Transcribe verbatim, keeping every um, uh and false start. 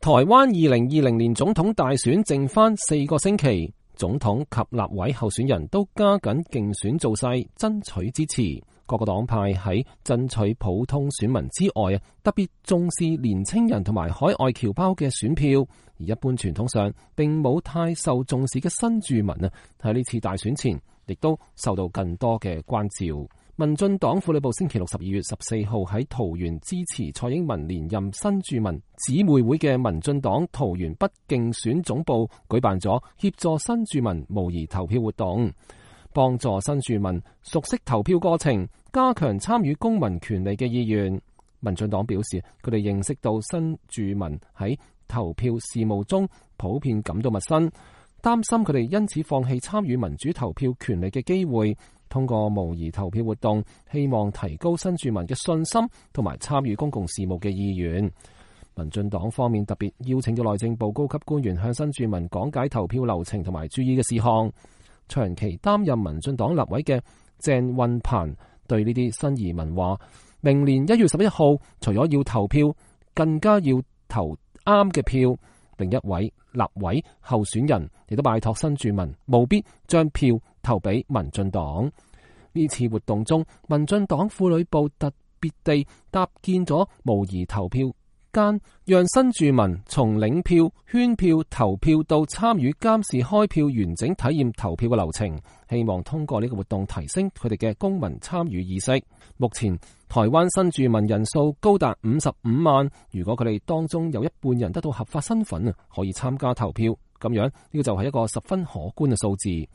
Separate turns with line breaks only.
台灣二零二零年總統大選剩返四個星期，總統及立委候選人都加緊競選造勢，爭取支持。各個黨派喺爭取普通選民之外啊，特別重視年青人同埋海外僑胞嘅選票。而一般傳統上並冇太受重視嘅新住民啊，喺呢次大選前亦都受到更多嘅關照。民進黨婦女部星期六十二月十四號喺桃園支持蔡英文連任新住民姊妹會嘅民進黨桃園北競選總部舉辦咗協助新住民模擬投票活動，幫助新住民熟悉投票過程，加強參與公民權利嘅意願。民進黨表示，佢哋認識到新住民喺投票事務中普遍感到陌生，擔心佢哋因此放棄參與民主投票權利嘅機會。通過模擬投票活動，希望提高新住民嘅信心同埋參與公共事務嘅意願。民進黨方面特別邀請咗內政部高級官員向新住民講解投票流程同埋注意嘅事項。長期擔任民進黨立委嘅鄭運鵬對呢啲新移民話：明年一月十一號，除咗要投票，更加要投啱嘅票。另一位立委候選人亦都拜託新住民務必將票投俾民進黨。呢次活動中，民進黨婦女部特別地搭建咗模擬投票間，讓新住民從領票、圈票、投票到參與監視開票完整體驗投票嘅流程，希望通過呢個活動提升佢哋嘅公民參與意識。目前台灣新住民人數高達五十五萬，如果佢哋當中有一半人得到合法身份啊，可以參加投票，咁樣呢個就係一個十分可觀嘅數字。